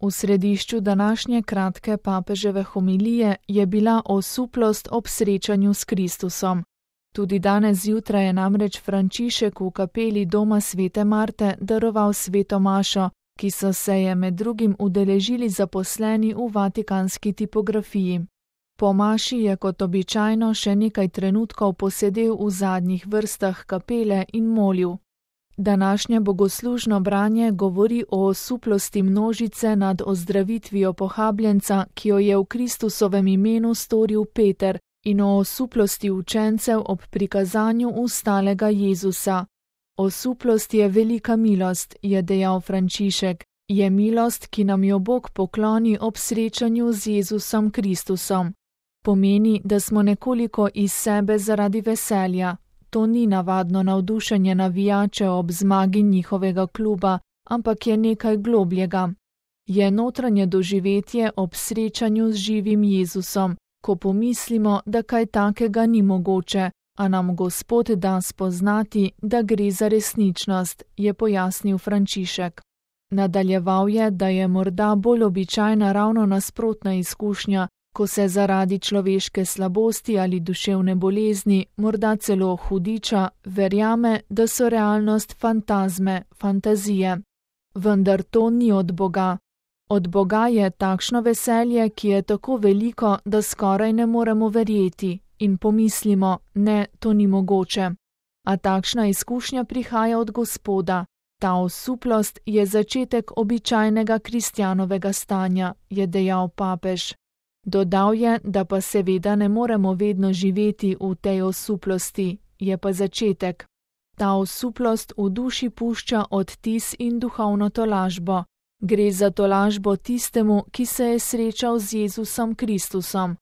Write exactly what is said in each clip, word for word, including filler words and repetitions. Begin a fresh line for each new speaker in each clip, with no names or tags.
V središču današnje kratke papeževe homilije je bila osuplost ob srečanju s Kristusom. Tudi danes zjutraj je namreč Frančišek v kapeli doma svete Marte daroval sveto mašo, ki so se je med drugim udeležili zaposleni v vatikanski tipografiji. Po maši je kot običajno še nekaj trenutkov posedel v zadnjih vrstah kapele in molil. Današnje bogoslužno branje govori o osuplosti množice nad ozdravitvijo pohabljenca, ki jo je v Kristusovem imenu storil Peter, in o osuplosti učencev ob prikazanju ustalega Jezusa. Osuplost je velika milost, je dejal Frančišek, je milost, ki nam jo Bog pokloni ob srečanju z Jezusom Kristusom. Pomeni, da smo nekoliko iz sebe zaradi veselja. To ni navadno navdušenje navijačev ob zmagi njihovega kluba, ampak je nekaj globljega. Je notranje doživetje ob srečanju z živim Jezusom, ko pomislimo, da kaj takega ni mogoče, a nam Gospod da spoznati, da gre za resničnost, je pojasnil Frančišek. Nadaljeval je, da je morda bolj običajna ravno nasprotna izkušnja, ko se zaradi človeške slabosti ali duševne bolezni, morda celo hudiča, verjame, da so realnost fantazme, fantazije. Vendar to ni od Boga. Od Boga je takšno veselje, ki je tako veliko, da skoraj ne moremo verjeti in pomislimo, ne, to ni mogoče. A takšna izkušnja prihaja od Gospoda. Ta osuplost je začetek običajnega kristjanovega stanja, je dejal papež. Dodal je, da pa seveda ne moremo vedno živeti v tej osuplosti, je pa začetek. Ta osuplost v duši pušča odtis in duhovno tolažbo. Gre za tolažbo tistemu, ki se je srečal z Jezusom Kristusom.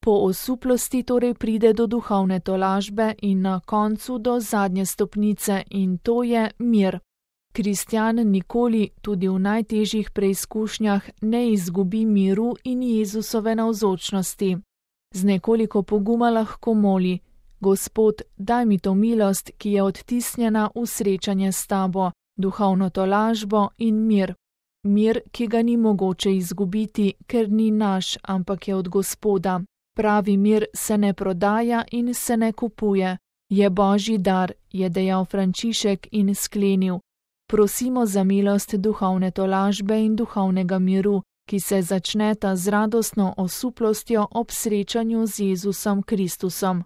Po osuplosti torej pride do duhovne tolažbe in na koncu do zadnje stopnice, in to je mir. Kristjan nikoli, tudi v najtežjih preizkušnjah, ne izgubi miru in Jezusove navzočnosti. Z nekoliko poguma lahko moli: Gospod, daj mi to milost, ki je odtisnjena v srečanje s tabo, duhovno tolažbo in mir. Mir, ki ga ni mogoče izgubiti, ker ni naš, ampak je od Gospoda. Pravi mir se ne prodaja in se ne kupuje. Je Božji dar, je dejal Frančišek in sklenil: Prosimo za milost duhovne tolažbe in duhovnega miru, ki se začneta z radostno osuplostjo ob srečanju z Jezusom Kristusom.